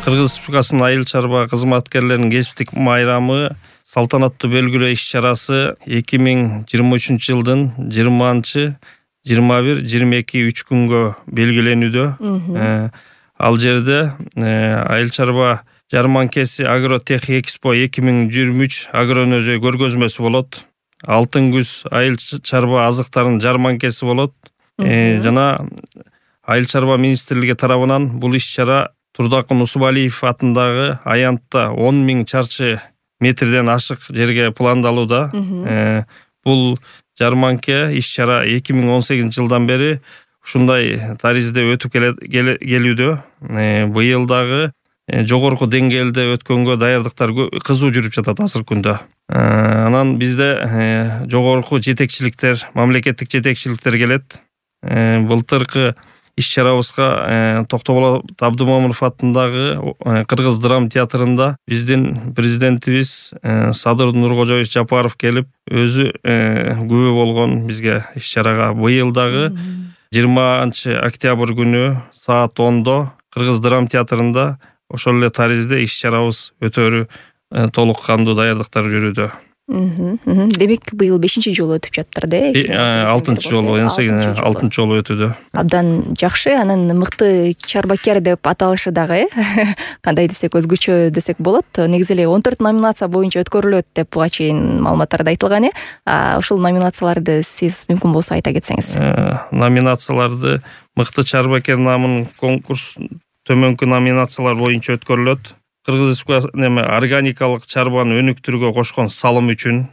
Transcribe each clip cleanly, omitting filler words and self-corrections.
Кыргыз Республикасынын айыл чарба кызматкерлеринин кесиптик майрамы салтанаттуу белгилөө иш-чарасы 2023 жылдын 20-21-22 күнгө белгиленүүдө. Ал жерде айыл чарба жарманкеси Агротех Экспо 2023 агроөнөрчү көргөзмөсү болот. Алтын күз айыл чарба азыктарынын жарманкеси болот. Жана айыл чарба министрлиги тарабынан бул иш-чара Турдакын Усубалиев атындагы аянтта 10 000 чарчы метрден ашык жерге пландалууда. Бул жарманке иш-чара 2018 жылдан бери ушундай таризде өтүп келүүдө. Быйыл дагы жогорку деңгээлде өткөнгө даярдыктар кызуу жүрүп жатат азыркы күндө. Анан бизде жогорку жетекчиликтер, мамлекеттик жетекчиликтер келет. Былтыркы иш-чарабызга Токтоболот Абдымомунов атындагы Кыргыз драма театрында биздин президентибиз Садыр Нуркожоевич Жапаров келип, өзү күбө болгон бизге иш-чарага. Быйыл дагы 20 октябрь күнү саат 10-до Кыргыз драма театрында ошол эле таризде иш-чарабыз өтөрү толук кандуу даярдыктар жүрүүдө. Демек быйыл 5-чи жолу өтүп жатыр да? 6-чы жолу, 6-чы жолу өтүүдө. Абдан жакшы. Анан мыкты чарбакер деп аталышы дагы кандай десек өзгөчө десек болот. Негизи эле 14 номинация боюнча өткөрүлөт деп буга чейин маалыматтарда айтылган. Ушул номинацияларды сиз мүмкүн болсо айта кетсеңиз. Номинацияларды мыкты чарбакер намынын конкурс төмөнкү номинациялар боюнча өткөрүлөт. Кыргыз Республикасынын органикалык чарбаны өнүктүрүүгө кошкон салым үчүн,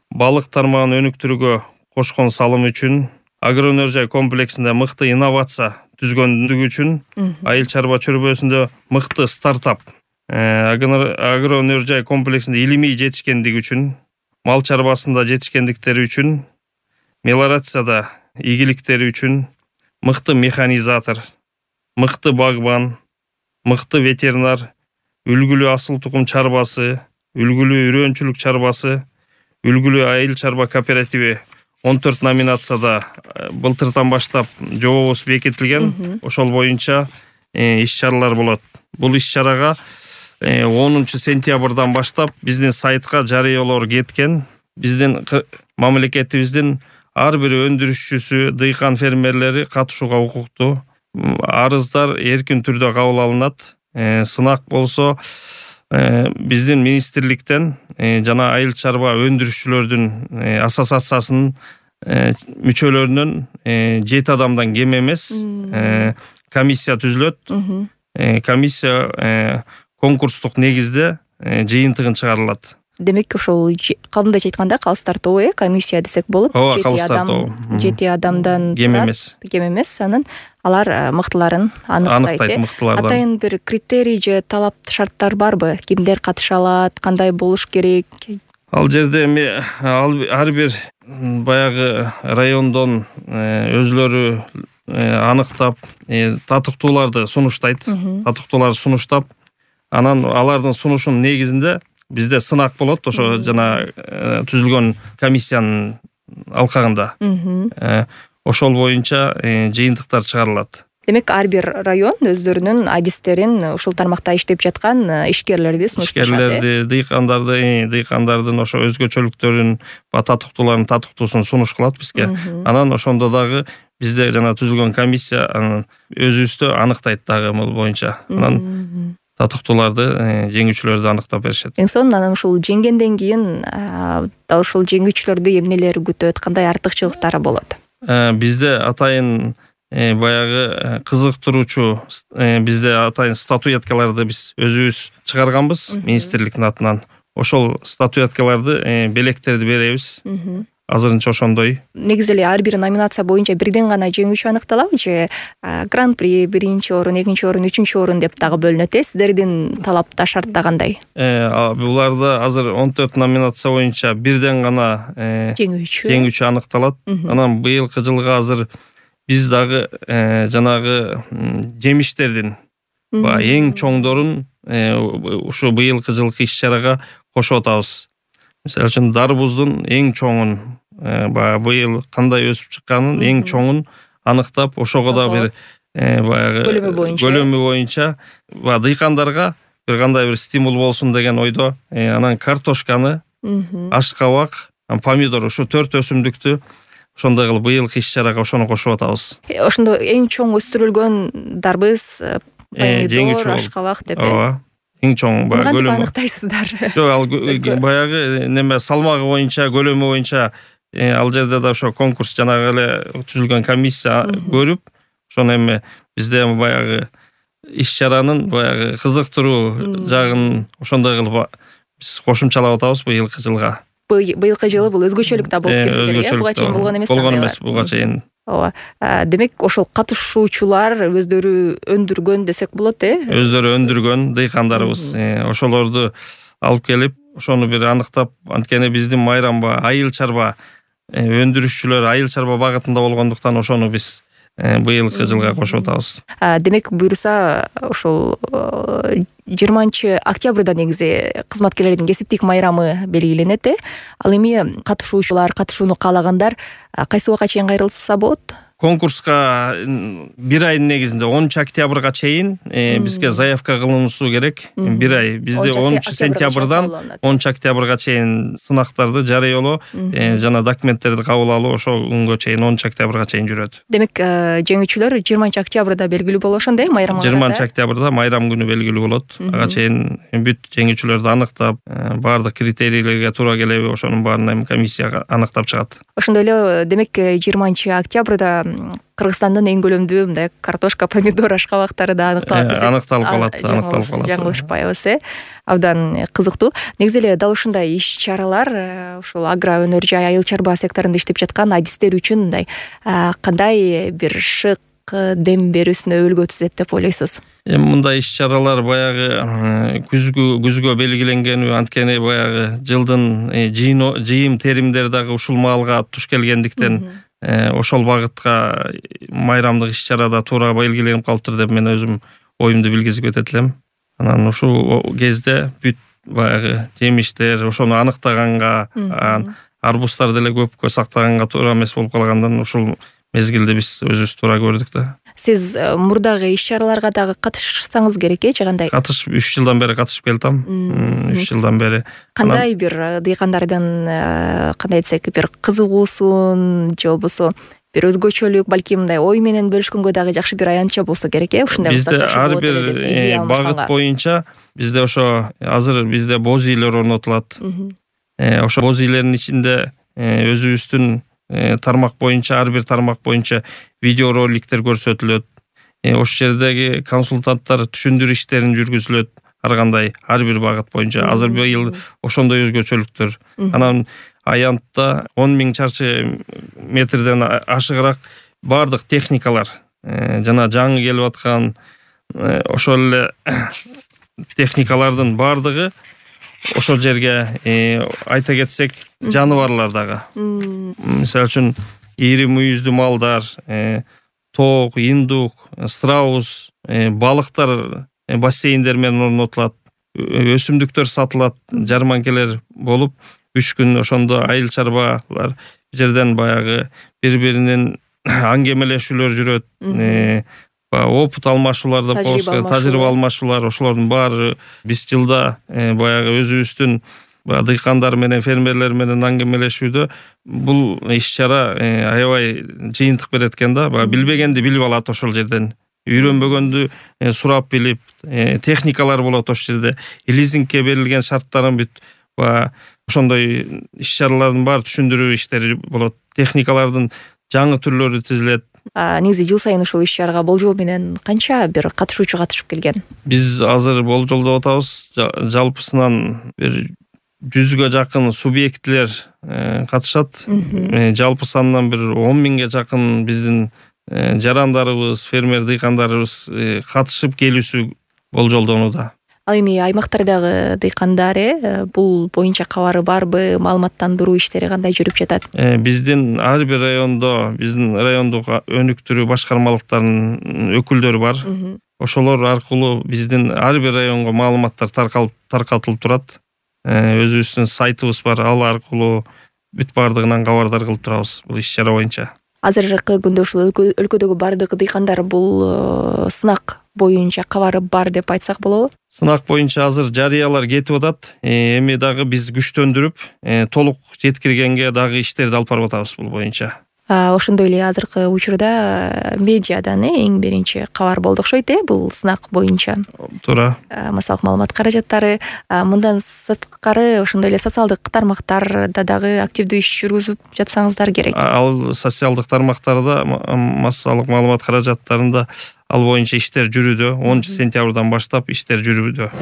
балык тармагын өнүктүрүүгө кошкон салым үчүн, агроөнөр комплексинде мыкты инновация түзгөндүгү үчүн, айыл чарба чөрбөсүндө мыкты стартап, агроөнөр комплексинде илимий жетишкендиги үчүн, мал чарбасында жетишкендиктери үчүн, мелиорацияда ийгиликтери үчүн, мыкты механизатор, мыкты багбан, мыкты ветеринар, үлгүлүү асыл тукум чарбасы, үлгүлүү үрөөнчүлүк чарбасы, үлгүлүү айыл чарба кооперативи 14 номинацияда былтырдан баштап жобобуз бекитилген. Ошол боюнча иш-чаралар болот. Бул иш-чарага 10 сентябрдан баштап биздин сайтка жарыялоо кеткен. Биздин мамлекетибиздин ар бир өндүрүшчүсү, дыйкан фермерлери катышууга укуктуу. Арыздар эркин түрдө кабыл алынат. Сынак болсо биздин министрликтен жана айыл чарба өндүрүшчүлөрдүн ассоциациясынын мүчөлөрүнөн 7 адамдан кем эмес комиссия түзүлөт. Комиссия конкурстук негизде жыйынтыгын чыгарылат. Демек ошол калындайча айтканда калыстар тобу, комиссия десек болот. 7 адамдан кем эмес. Анан алар мыктыларын аныктайт. Атайын бир критерий же талап шарттар барбы? Кимдер катыша алат, кандай болуш керек? Ал жерде ар бир баягы райондон өзлөрү аныктап, татыктууларды сунуштайт. Татыктууларды сунуштап, анан алардын сунушунун негизинде бизде сынак болот, ошо жана түзүлгөн комиссиянын алкагында. Ошол боюнча жыйынтыктар чыгарылат. Демек ар бир район өздөрүнүн адистерин ушул тармакта иштеп жаткан ишкерлерди сунушташат. Ишкерлерди, дыйкандардын ошо өзгөчөлүктөрүн, татыктуулардын татыктуусун сунуш кылат бизге. Анан ошондо дагы бизде жана түзүлгөн комиссия өзүбүздө аныктайт дагы бул боюнча. Анан татыктууларды, жеңүүчүлөрдү аныктап беришет. Эң сонун анан ушул жеңгенден кийин ушул жеңүүчүлөрдү эмнелер күтөт, кандай артыкчылыктары болот? Бизде атайын баягы кызыктыруучу бизде атайын статуэткаларды биз өзүбүз чыгарганбыз министрликтин атынан. Ошол статуэткаларды, белектерди беребиз. Азырынча ошондой. Негизи эле ар бир номинация боюнча бирден гана жеңүүчү аныкталабы же гран-при, 1-чи орун, 2-чи орун, 3-чү орун деп дагы бөлүнөт? Сиздердин талапта, шартта кандай? Буларда азыр 14 номинация боюнча бирден гана жеңүүчү аныкталат. Анан быйылкы жылга азыр биз дагы жанагы жемиштердин эң чоңдорун ушу быйылкы жылкы иш-чарага кошуп атабыз. Мисалы үчүн дарбуздун эң чоңун, быйыл кандай өсүп чыкканын эң чоңун аныктап, ошого да бир баягы көлөмү боюнча дыйкандарга бир кандай бир стимул болсун деген ойдо анан картошканы, ашкабак, помидор ушу 4 өсүмдүктү ошондой кылып быйылкы иш-чарага ошону кошуп атабыз. Ошондо эң чоң өстүрүлгөн дарбыз помидор, ашкабак деп. Ооба. Эң чоң баягы кантип аныктайсыздар? Жок, ал баягы неме салмагы боюнча, көлөмү боюнча ал жерде да ошо конкурс жанагы эле түзүлгөн комиссия көрүп, ошону эми бизде баягы иш-чаранын баягы кызыктыруу жагын ошондой кылып биз кошумчалап атабыз быйылкы жылга. Быйылкы жылы бул өзгөчөлүк да болуп келсе керек, буга чейин болгон эмес. Болгон эмес буга чейин. Ооба. Демек ошол катышуучулар өздөрү өндүргөн десек болот, Өздөрү өндүргөн дыйкандарыбыз. Ошолорду алып келип, ошону бир аныктап, анткени биздин майрамба айыл чарба өндүрүшчүлөр айыл чарба багытында болгондуктан ошону биз быйылкы жылга кошуп атабыз. Демек буюрса ошол 20-октябрда негизи кызматкерлердин кесиптик майрамы белгиленет. Ал эми катышуучулар, катышууну каалагандар кайсы убакка чейин кайрылса болот? Конкурска бир айдын негизинде 10-октябрга чейин бизге заявка кылынуусу керек. Бир ай. Бизде 10-сентябрдан 10-октябрга чейин сынактарды жарыялоо жана документтерди кабыл алуу ошо күнгө чейин 10-октябрга чейин жүрөт. Демек жеңүүчүлөр 20-октябрда белгилүү болуп ошондой майрам. 20-октябрда майрам күнү белгилүү болот. Ага чейин бүт жеңүүчүлөрдү аныктап, баардык критерийлерге туура келеби ошонун баарын эми комиссия аныктап чыгат. Ошондой эле демек 20-октябрда Кыргызстандын эң көлөмдүү мындай картошка, помидор, ашкабактары да аныкталып калат. Жаңылышпайбыз, абдан кызыктуу. Негизи эле дал ушундай иш-чаралар ушул агро өнөр жай айыл чарба секторунда иштеп жаткан адистер үчүн мындай кандай бир шык дем берүүсүнө өбөлгө түзөт деп ойлойсуз? Эми мындай иш-чаралар баягы күзгө белгиленгени, анткени баягы жылдын жыйым теримдери дагы ушул маалга туш келгендиктен ошол багытка майрамдык иш-чарада туура белгиленип калыптыр деп мен өзүм оюмду билгизип кетет элем. Анан ушул кезде бүт баягы жемиштер ошону аныктаганга, арбуздар деле көпкө сактаганга туура эмес болуп калгандан ушул мезгилде биз өзүбүз туура көрдүк да. Сиз мурдагы иш-чараларга дагы катышсаңыз керек, же кандай? 3 жылдан бери катышып келатам. 3 жылдан бери. Кандай бир дыйкандардын кандай десек бир кызыгуусун же болбосо бир өзгөчөлүк, балким мындай ой менен бөлүшкөнгө дагы жакшы бир аянтча болсо керек, ушундай бизде ар бир багыт боюнча бизде ошо азыр бизде боз үйлөр орнотулат. Ошо боз үйлөрдүн ичинде өзүбүздүн тармак боюнча, ар бир тармак боюнча видео роликтер көрсөтүлөт. Ошол жердеги консультанттар түшүндүрүү иштерин жүргүзүлөт. Ар кандай, ар бир багыт боюнча. Азыр быйыл ошондой өзгөчөлүктөр. Анан аянтта 10.000 чарчы метрден ашыгыраак баардык техникалар, жана жаңы келип аткан ошол эле техникалардын баардыгы ошол жерге айта кетсек, жаныбарлар дагы. Мисалы үчүн ири мүйүздүү малдар, тоок, индук, страус, балыктар бассейндер менен орнотулат. Өсүмдүктөр сатылат, жарманкелер болуп, 3 күн ошондо айыл чарбалар жерден баягы бири-биринин аңгемелешүүлөр жүрөт. Опыт алмашуулар да болсо, тажрыйба алмашуулар, ошолордун баары биз жылда баягы өзүбүздүн дыйкандар менен, фермерлер менен аңгемелешүүдө бул иш-чара аябай жыйынтык берет экен да. Билбегенди билип алат ошол жерден. Үйрөнбөгөндү сурап билип, техникалар болот ошол жерде. Лизингке берилген шарттарын бүт ошондой иш-чаралардын баары түшүндүрүү иштери болот. Техникалардын жаңы түрлөрү тизилет. Негизи жыл сайын ушул иш-чарага болжол менен канча бир катышуучу катышып келген? Биз азыр болжолдоп атабыз. Жалпысынан бир 100га жакын субъектилер катышат. Жалпы санынан бир 10.000ге жакын биздин жарандарыбыз, фермер дыйкандарыбыз катышып келүүсү болжолдонууда. Ал эми аймактардагы дыйкандар бул боюнча кабары барбы, маалыматтандыруу иштери кандай жүрүп жатат? Биздин ар бир райондо, биздин райондук өнүктүрүү башкармалыктарынын өкүлдөрү бар. Ошолор аркылуу биздин ар бир районго маалыматтар таркатылып турат. Өзүбүздүн сайтыбыз бар, ал аркылуу бүт баардыгынан кабардар кылып турабыз бул иш-чара боюнча. азыркы күндө ушул өлкөдөгү бардык дыйкандар бул сынак боюнча кабары бар деп айтсак болобу? Сынак боюнча азыр жарыялар кетип атат. Эми дагы биз күчтөндүрүп, толук жеткиргенге дагы иштерди алып барып атабыз бул боюнча. Ошондой эле азыркы учурда медиадан эң биринчи кабар болду окшойт, бул сынак боюнча. Туура. Массалык маалымат каражаттары, мындан сырткары ошондой эле социалдык тармактарда дагы активдүү иш жүргүзүп жатсаңыздар керек. Ал социалдык тармактарда, массалык маалымат каражаттарында ал боюнча иштер жүрүүдө. 10 сентябрдан баштап иштер жүрүүдө.